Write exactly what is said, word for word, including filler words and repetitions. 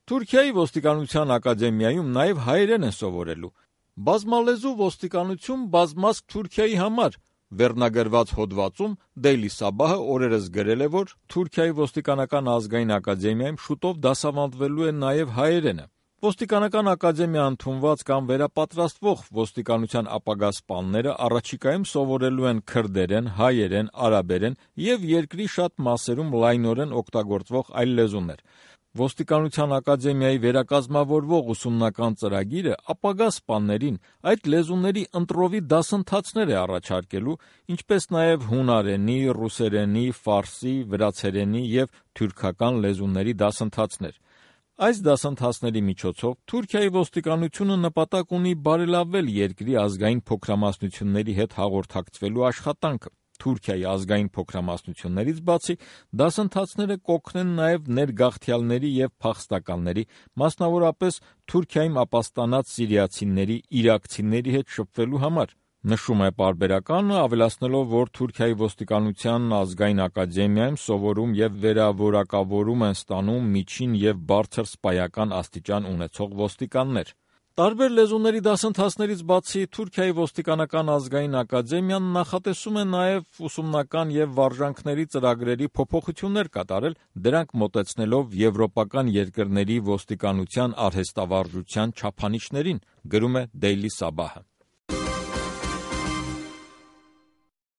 Թուրքիայի ոստիկանության ակադեմիայում նաև հայերեն են սովորելու։ Բազմալեզու ոստիկանություն բազմազգ Թուրքիայի համար վերնագրված հոդվածում Daily Sabah-ը օրերս գրել է, որ Թուրքիայի ոստիկանական ազգային ակադեմիայում շուտով դասավանդվելու է նաև հայերենը։ Ոստիկանական ակադեմիա ընդունված կամ վերապատրաստվող ոստիկանության ապագա սպաները առաջիկայում սովորելու են քրդերեն, հայերեն, արաբերեն և երկրի շատ մասերում լայնորեն օգտագործվող այլ լեզուներ։ Ոստիկանության ակադեմիայի վերակազմավորվող ուսումնական ծրագիրը ապագա սպաներին այդ լեզուների ընտրովի դասընթացներ է առաջարկելու, ինչպես նաև հունարենի, ռուսերենի, ֆարսի, վրացերենի և թուրքական լեզուների դասընթացներ։ Այս դասընթացների միջոցով Թուրքիայի ոստիկանությունը նպատակ ունի բարելավել երկրի ազգային փոքրամասնությունների հետ հաղորդակցվելու աշխատանքը։ Թուրքիայի ազգային փոքրամասնություններից բացի, դասընթացները կօգնեն նաև ներգաղթյալների և փախստականների, մասնավորապես Թուրքիայում ապաստանած սիրիացիների, իրաքցիների հետ շփվելու համար, նշում է պարբերականը, ավելացնելով, որ Թուրքիայի ոստիկանության ազգային ակադեմիայում սովորում և վերավորակավորում են ստանում միջին և բարձր սպայական աստիճան ունեցող ոստիկաններ։ Տարբեր լեզուների դասընթացներից բացի, Թուրքիայի ոստիկանական ազգային ակադեմիան նախատեսում է նաև ուսումնական և վարժանքների ծրագրերի փոփոխություններ կատարել, դրանք մոտեցնելով եվրոպական երկրների ոստիկանության արհեստավարժության չափանիշներին, գրում է Daily Sabah-ը։